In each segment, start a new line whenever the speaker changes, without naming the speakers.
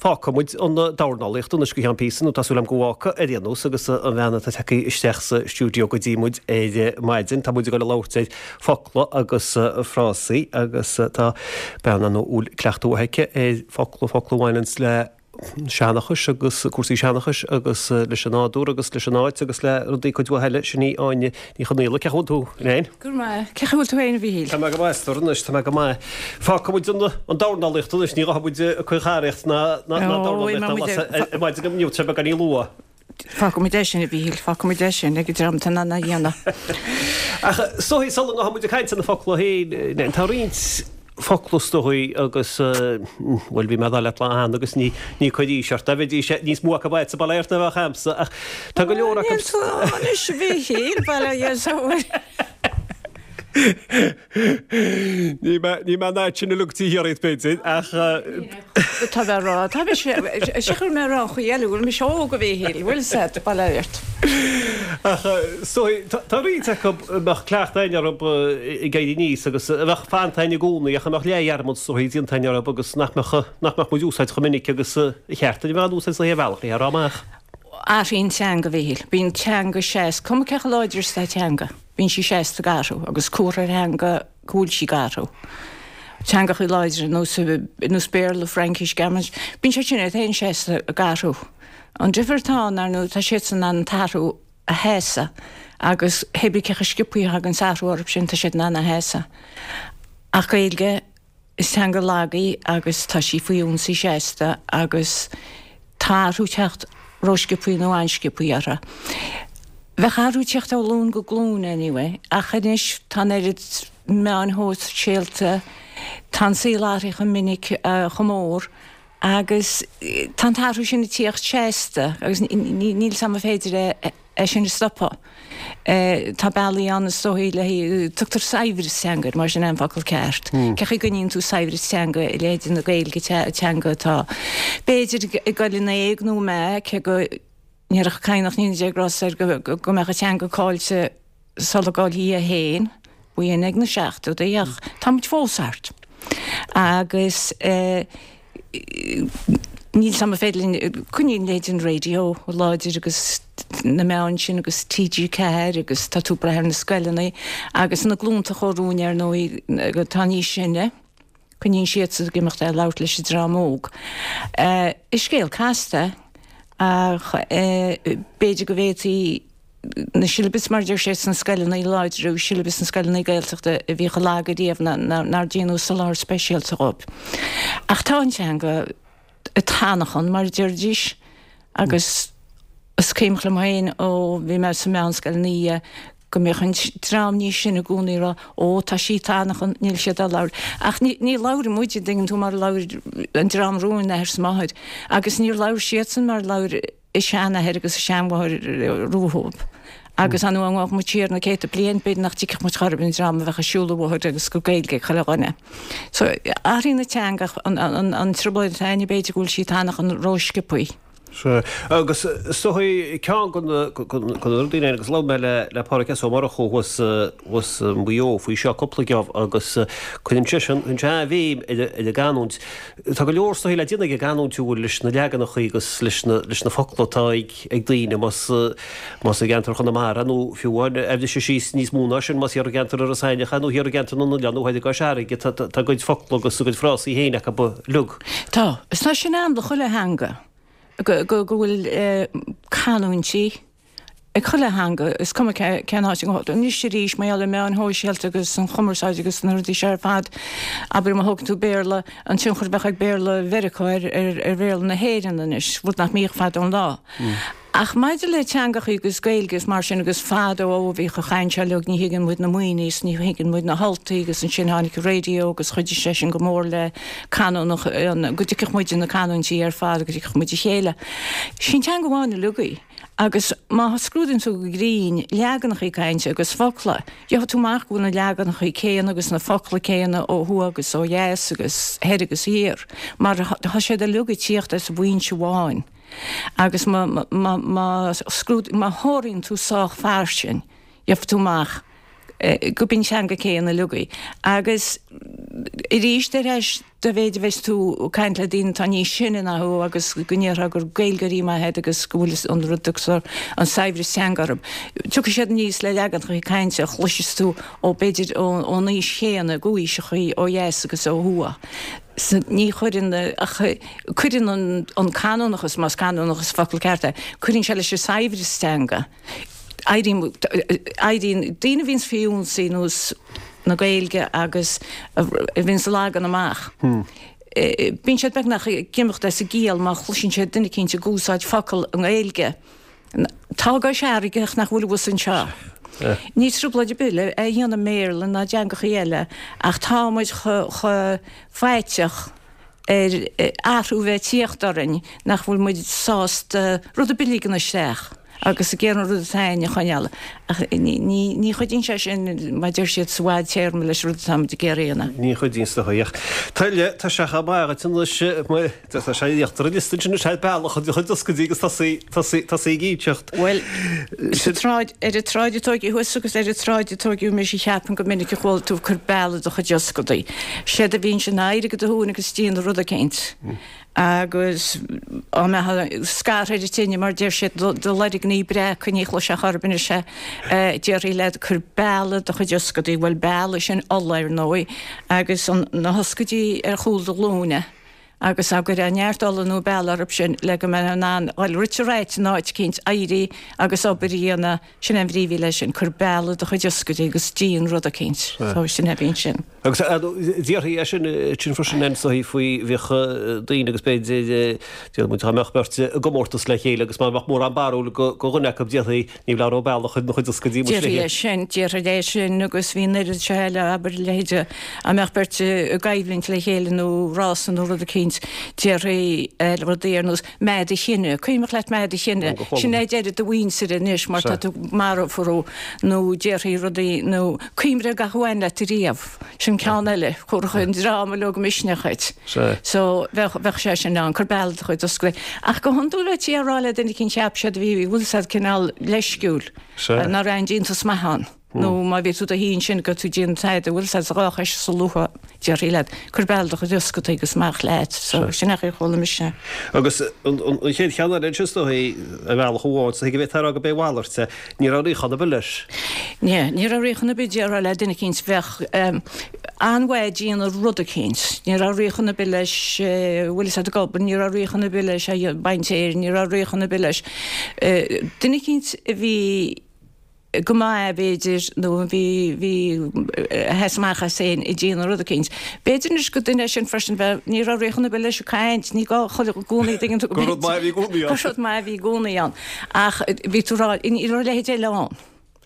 Fágfaidh muid an dornálaíocht anois go ceann píosa, nó tá súil agam go bhfágfaidh ar aon nós, agus an bhean atá tagtha isteach sa stiúideo go dtí muid ar maidin. Tá muid ag dul a labhairt ar focla agus frásaí agus tá bean ann a bhfuil cleachtadh mhaith aici ar focla, focla a bhaineanns le seanchais agus cúrsaí seanchais agus leis an nádúr agus leis an áit agus le rudaí cuid mhaith eile. Sin í Áine Ní Chonaola. Cén chaoi a bhfuil tú, a Áine?
Go raibh maith. Cén chaoi a bhfuil tú féin, a Mhíchíl?
Tá mé go maith, a stór anois, tá mé go maith. Fágfaidh muid an dornálaíocht anois, ní ghabhfaidh muid ag caocharaíocht ná dornálaíocht ná lasadh ar maidin inniu, tá sé beagáinín luath.
Fágfaidh muid é sin, a Mhíchíl, fágfaidh muid é sin ag an dream atá in ann é a dhéanamh.
Ach is dóigh, sula ngabhfaidh muid ag caint ar na focla féin, tá roinnt focla is dóigh agus, bhuel, bhí mé ag dul leat lá cheana agus ní ní cuir aois ort, bheidís níos mó acu agatsa bail ó Dhia ort ná bheadh a'msa ach tá go leor
acu. Níl tú anois a Mhíchíl, bail ó Dhia ort.
Ní mé ní mé an fhad sin uilig taobh thiar díot b'fhéidir ach.
Tá mé a rá, tá mise, sé chuir mé a rá an chaoi eile, bhfuil mise óg a Mhíchíl, bhfuil 's a'd, bail ó Dhia ort.
Ach is dóigh, tá roinnt acu a mbeadh cleachtadh againn orthu ag éirí aníos agus a bheadh fanta againn i gcónaí ach a mbeadh leathdhearmad is dóigh déanta againn orthu agus nach mbeadh, nach mbeadh muid úsáid chomh minic agus a cheart a bheith á n-úsáid sa bhealach, le rá amach.
Athraíonn teanga, a Mhíchíl. Bíonn teanga seasta, cuma cé chomh láidir is atá teanga. Bíonn sí seasta ag athrú agus comhartha ar theanga go bhfuil sí ag athrú. Teangachaí láidre ar nós, ar nós Béarla, Fraincis, Gearmáinis, bíonn siad sin iad féin seasta ag athrú. An difear atá ann, ar ndóigh, tá siadsan in ann an t-athrú a sheasamh agus hé bí cé chomh sciobthaí a thagann athrú orthu sin, tá siad in ann a sheasamh. Ach Gaeilge, Is teanga lag í agus tá sí faoi ionsaí seasta agus tá athrú ag teacht rósciobthaí nó an-sciobthaí uirthi. Bheadh athrú ag teacht ó ghlúin go glúin anyway ach anois tá an oiread meáin shóisialta, tá an saol athraithe chomh minic, chomh mór agus tá an t-athrú sin ag tíocht seasta agus níl 's a'm an féidir é é sin a stopadh. Tá bealaí ann is dóigh le tugtar saibhreas teanga air, mar sin é an focal ceart. Cé chaoi a gcoinníonn tú saibhreas teanga i leithéid na Gaeilge, teanga atá b'fhéidir ag dul in éag nó meath, cé go ndéarfadh Cadhnach Ní deir Grosser go mbeadh an teanga caillte sula gcaillfí é féin, b'in ag na seachtóidí ach tá muid fós thart. Agus níl 's a'm an féidir linn, coinníonn leithéid an raidió láidir agus na meáin sin agus TG4 agus tá tú ag brath ar na scoileanna agus na glúnta chomh romhainn ar ndóigh atá níos sine, coinníonn siadsan ag imeacht ag labhairt leis an dream óg. Is scéal casta é ach b'fhéidir go bhféadfaí na siollabais mar a deir sé sna scoileanna a láidriú, siollabais na scoileanna Gaeltachta a bhí chomh lag ariamh nár déanadh soláthar speisialta dhóibh. Ach tá an teanga ag tanachaint mar a deiridís agus is cuimhin liom féin ó bhí mé sa mheánscoil ina dhiaidh go mbíodh an dream níos sine i gcónaí ag rá ó tá sí ag tanachaint, níl siad á labhairt. Ach ní labhrann muid, an dtuigeann tú, mar a labhair an dream romhainn, athair 's máthair, agus níor labhair siadsan mar a labhair a seanathair agus a seanmháthair rompu. Agus an uair a ngabhadh muid siar na céadta bliain, b'fhéidir nach dtuigfeadh muid chor ar bith an dream a bheadh ag siúl an bhóthair agus gur Gaeilge ag chuile dhuine. So, athraíonn an teanga ach an trioblóid atá againne b'fhéidir go bhfuil sí ag tanachaint rósciobthaí.
Sea, agus is dóigh ceann de na rudaí agus labhair mé le le Pádraig S. Ó Murchú thuas thuas i Maigh Eo faoi seo cúpla geábh agus cuireann seisean cuireann sé an-bhéim ar ar an gcanúint. Tá go leor is dóigh le déanamh ag an gcanúint an bhfuil leis na leaganachaí agus leis na leis na focla atá ag ag daoine más más i gceantar Chonamara nó fiú amháin a bhriseadh síos níos mó ná sin más thiar i gceantar Iorras Aithneach é nó thiar i gceantar na nOileán nó thoir i gCois Fharraige tá tá a gcuid focla agus a gcuid frásaí féin acu uilig.
Tá. Is tá sin ann do chuile theanga go go go bhfuil canúintí ag chuile theanga, is cuma cén áit a ngabhfaidh tú. Anois arís, mar gheall ar meáin shóisialta agus an chumarsáid agus na rudaí seo ar fad, abair má thógann tú Béarla, an tionchar a bheadh ag Béarla Mheiriceá ar Bhéarla na hÉireann anois, rud nach mbíodh fadó an lá. Ach maidir le teangachaí agus Gaeilge is mar sin agus fadó ó bhíodh an chaint seo uilig ní thuigeann muid na maoiní is ní thuigeann muid na hUltaigh agus ansin tháinig an raidió agus chuidigh sé sin go mór le canúnach, go dtuigfeadh muid na canúintí ar fad, go dtuigfeadh muid a chéile. Sin teanga amháin uilig í. Agus má scrúdaíonn tú go grinn leaganachaí cainte agus focla, gheobhaidh tú amach go bhfuil na leaganachaí céanna agus na focla céanna ó thuaidh agus ó dheas agus thoir agus thiar, mar tá siad uilig ag tíocht as foinse amháin. Agus má, má, má scrúd, má thóraíonn tú sách fairsing, gheobhaidh tú amach. Go b'in teanga céanna uilig í. Agus arís ar ais dá mhéid a bheas tú ag caint le daoine atá níos sine ná thú agus go ndéarfá gur Gaeilgeoirí maithe iad agus go bhfuil an rud agus an saibhreas teanga orthu. Tiocfaidh siad aníos le leaganacha cainte a chloiseas tú ó b'fhéidir ón aois chéanna go aoiseachaí ó dheas agus ó thuaidh. Ní chuireann ach cuireann an canúnachas, más canúnachas focal ceart é, cuireann sé leis an saibhreas teanga. Éiríonn éiríonn daoine a bhíonns faoi ionsaí nós na Gaeilge agus a bhíonns á leagan amach. Bíonn siad beagnach ag imeacht as a gciall má chloiseann siad duine eicínt ag úsáid focal i nGaeilge. Tá go searraigh ach nach bhfuil abhus anseo. Ní trioblóid ar bith le é a dhéanamh i mBéarla ná i dteangachaí eile ach tá muid chomh faiteach ar athrú bheith ag tíocht orainn nach bhfuil muid sásta rud ar bith a ligean isteach agus ag iarraidh an rud atá againn a choinneáil. Ach ní chuidíonn sé sin, mar a deir siad, sa bhfadtéarma leis an rud atá muid ag iarraidh a dhéanamh.
Ní chuidíonn is dóigh. Ach tá sé chomh maith dhuit anois, tá sé íochtar an liosta ansin, is é bealach a chuid ioscaidí agus tosaí ag inseacht.
Bhuel, sa tsráid, ar an tsráid a tóigeadh thusa agus ar an tsráid a tóigeadh mise, cheapfainn go minic a chuala tú ag cur bealaigh do chuid ioscadaí. Séard a bhíonn sin ná éirigh i do shuan agus déan rud eicínt. Agus á mbeadh scartha ar an tine, mar deir siad, do loirgní breaca, ní chloisfeá chor ar bith anois é, déarfaí leat, cuir bealaigh do chuid ioscadaí, bhuel bealaigh sin ola ar ndóigh, agus na hioscaidí ar chúl do ghlúine, agus á gcuirfeá neart ola nó bealaigh orthu sin le go mbeifeá in ann dhul rite raite in áit eicínt, éirí agus obair a dhéanamh, sin é an bhrí a bhí leis sin, cuir bealaigh do chuid ioscaidí agus déan rud eicínt, so sin é a bhí ansin.
Agus déarfaí é sin, sin freisin an saoi faoi bhíodh daoine agus b'fhéidir, déarfaidh muid dá mbeadh beirt i gcomórtas le chéile agus má bheadh mórán barúil go dhuine acu déarfaí ní labhródh bealach ina chuid ioscaidí
mo Déarfaí é sin, déarfaí é sin agus bhí an oiread seo eile, abair, a leithéid, dá mbeadh beirt i gcoimhlint le chéile nó rása nó rud eicínt, déarfaí rudaí ar nós meath do chine, cuimhneach leat meath do chine, sin é deireadh do mhuintire anois mar tá tú marbh nó déarfaí rudaí nó Cuimhnigh ar gach a bhain leat ariamh. Sin ceann eile. Thabharfadh an dream uilig misneach dhuit. So, bheadh, bheadh sé sin ann, cuir bealaigh do chuid ioscaidí. Ach go hiondúil bheití á rá le duine eicínt cheap siad a bhí, bhfuil 'fhios a'd, cineál leisciúil, ná raibh aon deontas maith ann. Nó má bhí tú do shuí ansin go raibh tú ag déanamh tada, bhfuil 'fhios a'd, sa dhá chois sa luath, déarfaí leat, cuir bealaigh do chuid ioscaidí agus amach leat. So, sin é an chaoi a chuala mise.
Agus an chéad cheann eile ansin is dóigh, ar bhealach amháin, is dóigh go bhféadfá a rá go b'é a mhalairt é. Ní raibh riachán ar bith leis.
Ní, ní raibh riachán ar bith, déarfá le duine eicínt bheadh an-mhaith ag déanamh rud eicínt. Ní raibh riachán ar bith leis, bhfuil fhios a'd ag obair, ní raibh riachán ar bith leis ag baint fhéir, ní raibh riachán ar bith leis. Duine eicínt a bhí go maith b'fhéidir nó a bhí, bhí, a sheas amach as féin ag déanamh rud eicínt. B'fhéidir anois gur duine é sin freisin bheadh, ní raibh riachán ar bith leis ag caint, ní gá chuile i gcónaí, dtuigeann tú,
Gur rud maith a bhí i gcónaí
ann. Gur rud maith a bhí i gcónaí ann. Ach bhí tú rá, ní raibh a leithéid eile ann.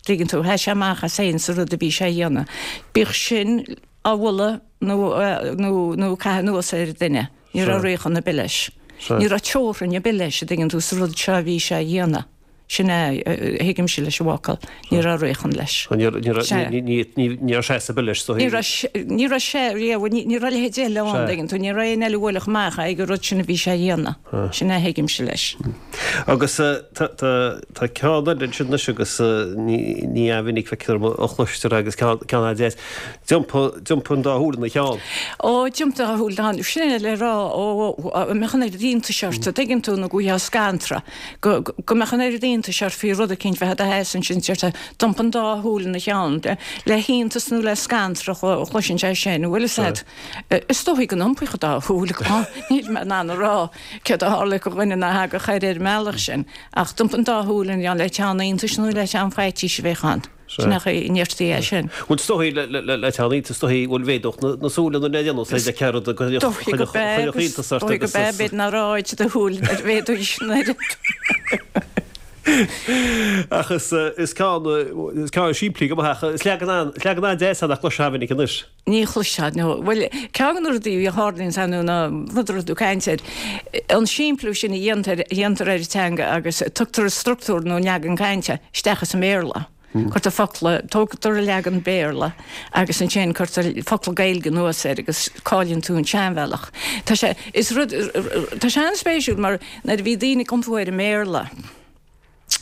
Tuigeann tú, sheas sé amach as féin sa rud a bhí sé a dhéanamh. Bíodh sin á mholadh nó, nó, nó ag caitheamh anuas ar dhuine, ní raibh riachán ar bith leis. Ní raibh teorainn ar bith leis, a dtuigeann tú, sa rud seo a bhí sé a dhéanamh. Sin é a thuigimse leis an bhfocal, ní raibh riachán leis.
Ní raibh seasamh ar bith leis,
so. Ní raibh, ní raibh sé riamh, ní raibh a leithéid eile ann, a dtuigeann tú, ní raibh aon eile a bhuailfeadh amach ag an rud sin a bhí sé a dhéanamh. Sin é a thuigimse leis.
Agus tá ceann eile ansin anois agus ní an-mhinic feictear dom a chloistear agus ceann an-deas. D'iompaigh an dá shúil ina cheann.
Ó, d'iompaigh an dá shúil ina cheann. Sin é le rá, ó, a mbeadh an oiread iontais ort, a dtuigeann tú, nó go bhfaighfeá scanradh. go mbeadh an oiread iontais ort faoi rud eicínt bheith i do sheasamh ansin, deirtear, d'iompaigh an dá shúil ina cheann, le hiontas nó le scanradh a chloiseann sé sin, bhfuil fhios a'd. Is dóichí go n-iompaíodh an dá shúil, níl mé in ann a rá céard a tharla do dhuine ná thagadh air ar an mbealach sin, ach d'iompaigh an dá shúil ina cheann, le teann iontais nó le teann faitís a bheadh ann. Sin é an chaoi a ndeirtí é sin.
Bhuel, is dóichí le teann iontais, is dóichí, bhuel, mhéadódh na súile nuair a dhéanadh sé le cearrad a
Dóichí go b'ea, agus dóichí go b'ea, b'fhéidir nár áit do shúil ar mhéadaigh sin oiread.
Ach is ceann, is ceann simplí go maith ach is leagan leagan an-deas é nach gcloisfeá minic anois.
Ní chloisfeá, nó, bhuel, ceann de na rudaí a tharlaíonn ann nó rud a raibh tú ag caint air, an simpliú sin a dhéantar, a dhéantar ar an teanga agus tugtar an structúr nó an leagan cainte isteach as an mBéarla. Cuirtear focla, tógtar an leagan Béarla agus ansin cuirtear focla Gaeilge anuas air agus cailleann tú an seanbhealach. Tá sé, is rud, tá sé an-spéisiúil mar nuair a bhí daoine ag iompú ar an mBéarla.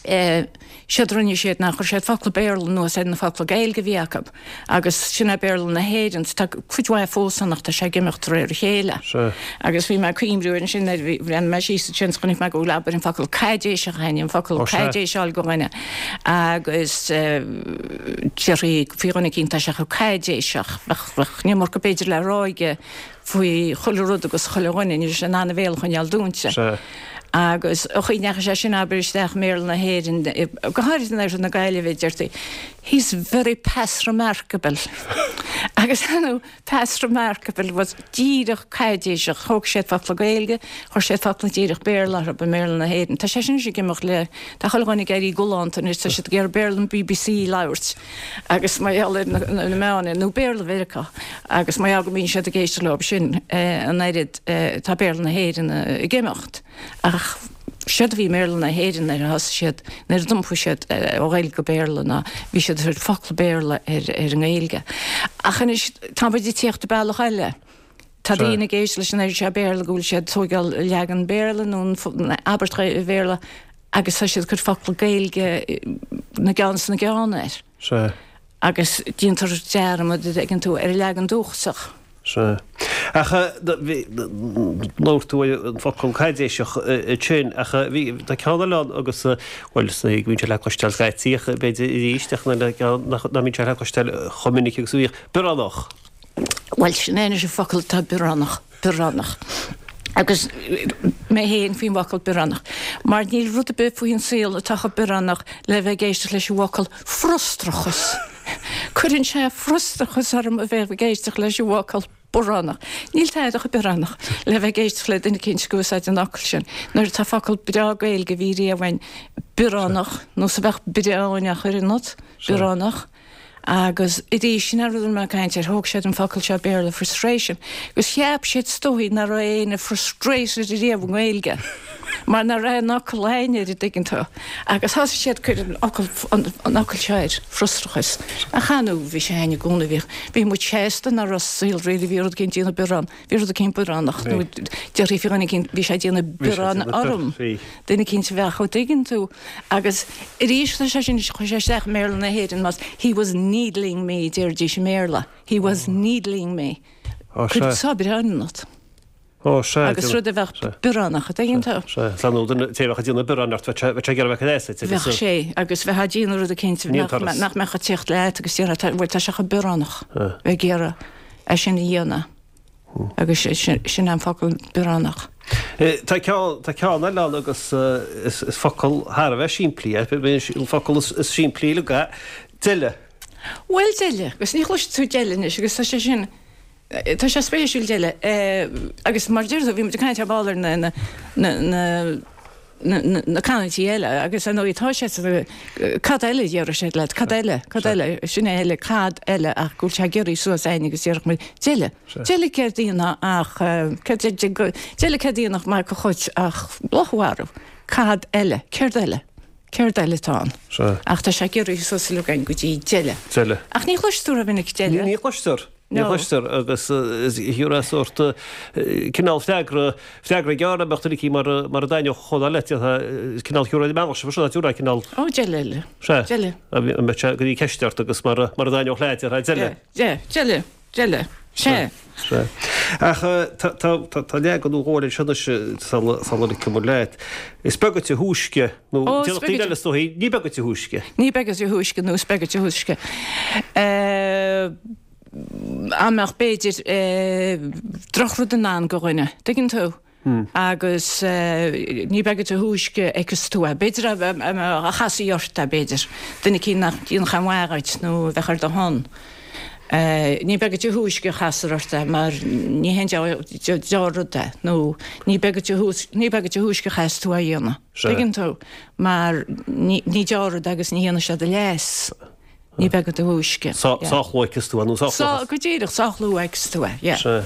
Séard a rinne siad ná chuir siad focla Béarla anuas ar na focla Gaeilge a bhí acu agus sin é Béarla na hÉireann. Tá cuid mhaith fós ann ach tá sé ag imeacht de réir a chéile. Agus bhí mé ag cuimhniú air ansin nuair a bhí, bhreathnaigh mé síos ansin is chonaic mé go bhfuil abair an focal caidéiseach againn, an focal caidéis a fháil go dhuine agus déarfaí faoi dhuine eicínt tá sé chomh caidéiseach, bheadh, bheadh an iomarca b'fhéidir le rá aige faoi chuile rud agus chuile dhuine, ní raibh sé in ann a bhéal a choinneáil dúinte. Agus an chaoi a ndeachaigh sé sin, abair, isteach i mBéarla na hÉireann, go háirid in oirthear na Gaillimhe, deirtí, He's very pass remarkable. Agus ar ndóigh, pass remarkable was díreach caidéiseach, thóg siad focla Gaeilge, chuir siad focla díreach Béarla orthu i mBéarla na hÉireann. Tá sé sin anois ag imeacht le, tá chuile dhuine ag éirí galánta anois, tá siad ag iarraidh Béarla an BBC a labhairt. Agus mar gheall ar na meáin, nó Béarla Mheiriceá, agus mar gheall go mbíonn siad ag éisteacht leo sin an oiread, tá Béarla na hÉireann ag imeacht. Ach séard a bhí i mBéarla na hÉireann nuair a thosaigh siad, nuair a d'iompaigh siad ó Ghaeilge go Béarla ná bhí siad ag cur focla Béarla ar an nGaeilge. Ach anois tá muid ag tíocht bealach eile. Tá daoine ag éisteacht leis an oiread seo Béarla go bhfuil siad ag tóigeáil leagan Béarla nó an abairt Bhéarla agus tá siad ag cur focla Gaeilge na gceann is na gceann air.
Sea.
Agus déantar dearmad, an dtuigeann tú, ar an leagan dúchasach.
Sea. Ach bhí, labhair tú ar an focal caidéiseach ansin, ach bhí, tá ceann eile ann agus, bhuel, is go mbíonn sé le cloisteáil scaití ach b'fhéidir arís ach ceann nach mbíonn sé le cloisteáil chomh minic agus a bhíodh, bioránach.
Bhuel, sin é anois an focal atá bioránach, bioránach. Agus mé féin faoin bhfocal bioránach. Mar níl rud ar bith faoin saol atá chomh bioránach le bheith ag éisteacht leis an bhfocal frustrachas. Cuireann sé frustrachas orm a bheith ag éisteacht leis an bhfocal bioránach. Níl tada chomh bioránach le bheith ag éisteacht le duine eicínt ag úsáid an fhocail sin. Nuair atá focal breá Gaeilge a bhí riamh againn, bioránach, nós a bheadh breáin á chur ionat, bioránach. Agus arís, sin an rud a raibh mé ag caint air, thóg siad an focal seo Béarla frustration, agus cheap siad is dóigh nach raibh éinne frustrated riamh i nGaeilge, mar nach raibh aon fhocal againn air, an dtuigeann tú. Agus thosaigh siad ag cur an fhocal, an fhocal seo air, frustrachas. Ach ar ndóigh, bhí sé againn i gcónaí, bhíodh, bhí muid sásta nach raibh sa saol riamh, bhí rud éicint ag déanamh biorán, bhí rud éicint bioránach, nó déarfaí faoi dhuine éicint, bhí sé ag déanamh biorán orm, duine éicint a bheadh, an dtuigeann tú. Agus arís tá sé sin, chuaigh sé isteach i mBéarla na hÉireann más he was needling me déarfaidís i mBéarla, he was needling me.
Ó sea.
Cuir sá biorán ionat.
Ó sea.
Agus rud a bheadh bioránach, an dtuigeann tú?
Sea, sea. Nó duine, té a bheadh ag déanamh biorán ort, bheadh sé, bheadh sé ag iarraidh bheith ag éasait
agus. Bheadh sé, agus bheadh ag déanamh rud eicínt nach, nach mbeadh ag tíocht leat agus déarfá, tá, bhuel tá sé chomh bioránach, bheith ag iarraidh é sin a dhéanamh. Agus sin an focal bioránach.
Tá ceann, tá ceann eile ann agus is focal thar a bheith simplí é, an focal is simplí uilig é, deile.
Bhuel, deile, agus ní chloisfidh tú deile anois agus tá sé sin, tá sé spéisiúil deile. Agus mar a deir tú, bhí muid ag caint ar ball ar na, na, na, na canúintí eile agus ar ndóigh tá sé sa, cad eile a déarfadh siad leat, cad eile, cad eile, sin é eile, cad eile ach go bhfuil sé giorraithe suas againn agus déarfadh muid deile, deile céard a dhéanfá ach, céard, deile céard a dhéanfadh mac a chuid ach luch a mharú, cad eile, céard eile, céard eile atá ann. Ach tá sé giorraithe suas uilig againn go dtí deile.
Deile.
Ach ní chloistear tú rómhinic
deile. Ní chloistear. Ní chloistear agus thiúrfá sórt cineál freagra, freagra gearr a mbeadh duine aici mar mar a d'aithneodh chomh leat, cineál thiúrfá an bealach seo, thiúrfá cineál.
Ó, deile eile.
Sea.
Deile.
A mbeadh sé go dtí ceist ort agus mar a mar a d'aithneodh leat, déarfá deile.
Sea, deile, deile. Sea.
Sea. Ach tá tá tá leagan nó dhó eile anseo anois sula sula ligfidh muid leat. Is beag duit a thúisce, nó
Ó, is
déarfadh
beag
daoine eile is dóichí, ní beag duit a thúisce.
Ní beag duit a thúisce nó is beag duit a thúisce. Dá mbeadh b'fhéidir drochrud i ndán go dhuine, tuigeann tú? Agus ní beag duit a thúisce a fheiceas tú é. B'fhéidir a chasfaí ort é, b'fhéidir. Duine eicínt nach ndéanfadh aon mhaith dhuit nó a bheadh ar do shon. Ní beag duit a thúisce a chasfar ort é mar ní haon deá-rud é nó ní beag duit a ní beag duit a thúisce a chaithfeas tú é a dhéanamh. Tuigeann tú? Mar ní deá-rud é agus ní dhéanfaidh sé do leas. Ní beag duit a thúisce.
Sách luath a fheicfeas tú é nó sách
luath. Go díreach, sách luath a fheicfeas tú é, yeah.
Sea.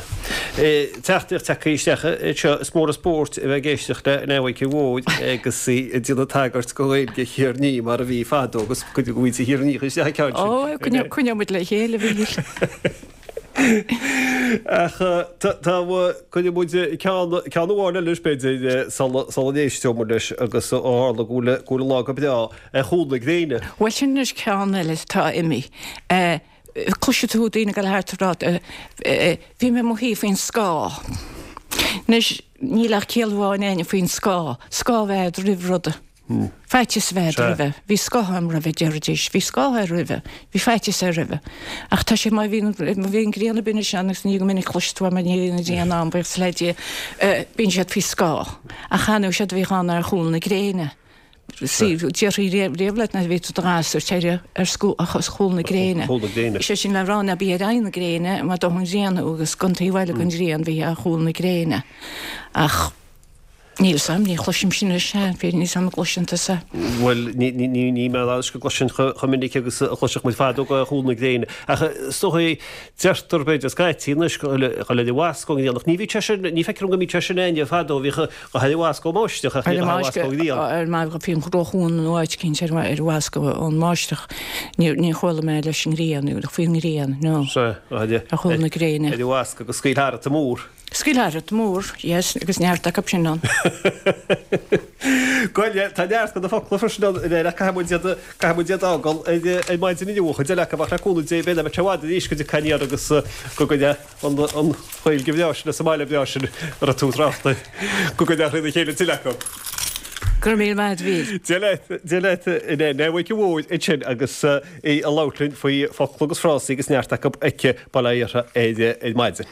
Teachtaireacht tagtha isteach anseo, is mór an spórt a bheith ag éisteacht le Neamhaidh Mhóir agus í ag déanamh tagairt go Ghaeilge Thír an Fhia mar a bhí fadó agus cuid de mhuintir Thír an Fhia isteach an ceann
sin. Ó, coinneoidh muid le chéile, a Mhíchíl.
Ach tá, cuirfidh muid ceann, ceann amháin eile b'fhéidir sula, sula n-éisteoidh muid leis agus ó tharla go bhfuil, go bhfuil an lá go breá ar chúl na gréine.
Bhuel sin anois ceann eile atá imithe. Cloisfidh tú daoine ag dul thart ag rá, bhí mé i mo shuí faoin scáth. Anois níl ach ciall amháin againne faoin scáth, scáth a bheith agat roimh ruda. Faitíos a bheith agat roimhe. Bhí scáth agam roimhe, déarfaidís. Bhí scáth air roimhe. Bhí faitíos air roimhe. Ach tá sé, má bhíonn, má bhíonn an ghrian ag baint ann agus ní go minic cloisfidh tú mar ní bhíonn an ghrian ann, buíochas le Dia, bíonn siad faoi scáth. Ach cheana séard a bhíodh ann ar chúl na gréine. Sea, déarfaí riamh leat nuair a bhí tú i do ghasúr, téir ar chúl na gréine. Is é sin le rá ná bí ar aghaidh na gréine mar dófaidh an ghrian thú agus don taobh eile den ghrian bhí ar chúl na gréine. Ach. Níl 'fhios a'm, ní chloisim sin anois, b'fhéidir níl 'fhios a'm an gcloiseann tusa.
Bhuel, ní, ní, ní, ní mé anois go gcloisinn chomh minic agus a chloisfeadh muid fadó go ar chúl na gréine. Ach is dóigh, deirtear b'fhéidir scaití anois go bhfuil ar an bhfasc ón ngrian, ach ní bhíodh sé sin, ní feictear dom go mbíodh sé sin againne fadó, bhíodh go ar an bhfasc ón mbáisteach ach ní ar an bhfasc ón ngrian.
Ar an mbáisteach, bhí an róchuan nó áit eicínt ar an bhfasc ón mbáisteach, ní, ní chuala mé leis an ngrian, faoin ngrian, no.
Sea,
ar chúl na gréine.
Ar an bhfasc agus scaoil tharat an mór.
Scaoil tharat mór, yes, agus neart acu sin ann.
Bhuel, tá neart de na focla freisin ann aréir ach caithfidh muid iad, caithfidh muid iad a fhágáil ar, ar maidin inniu, an chuid eile acu ach le cúnamh Dé beidh mé i bhfad arís go dtiocfaidh aniar agus go gcuirfidh an, an Ghaeilge bhreá sin as an mbaile breá sin a raibh tú ag trácht air, go gcuirfidh trína chéile tuilleadh acu.
Go raibh míle maith agat, a Mhíchíl.
Dia leat, Dia leat, a Nené Mhic an Mhóir ansin agus í ag labhairt linn faoi focla agus frásaí agus neart acu aici, bail ó Dhia uirthi ar maidin.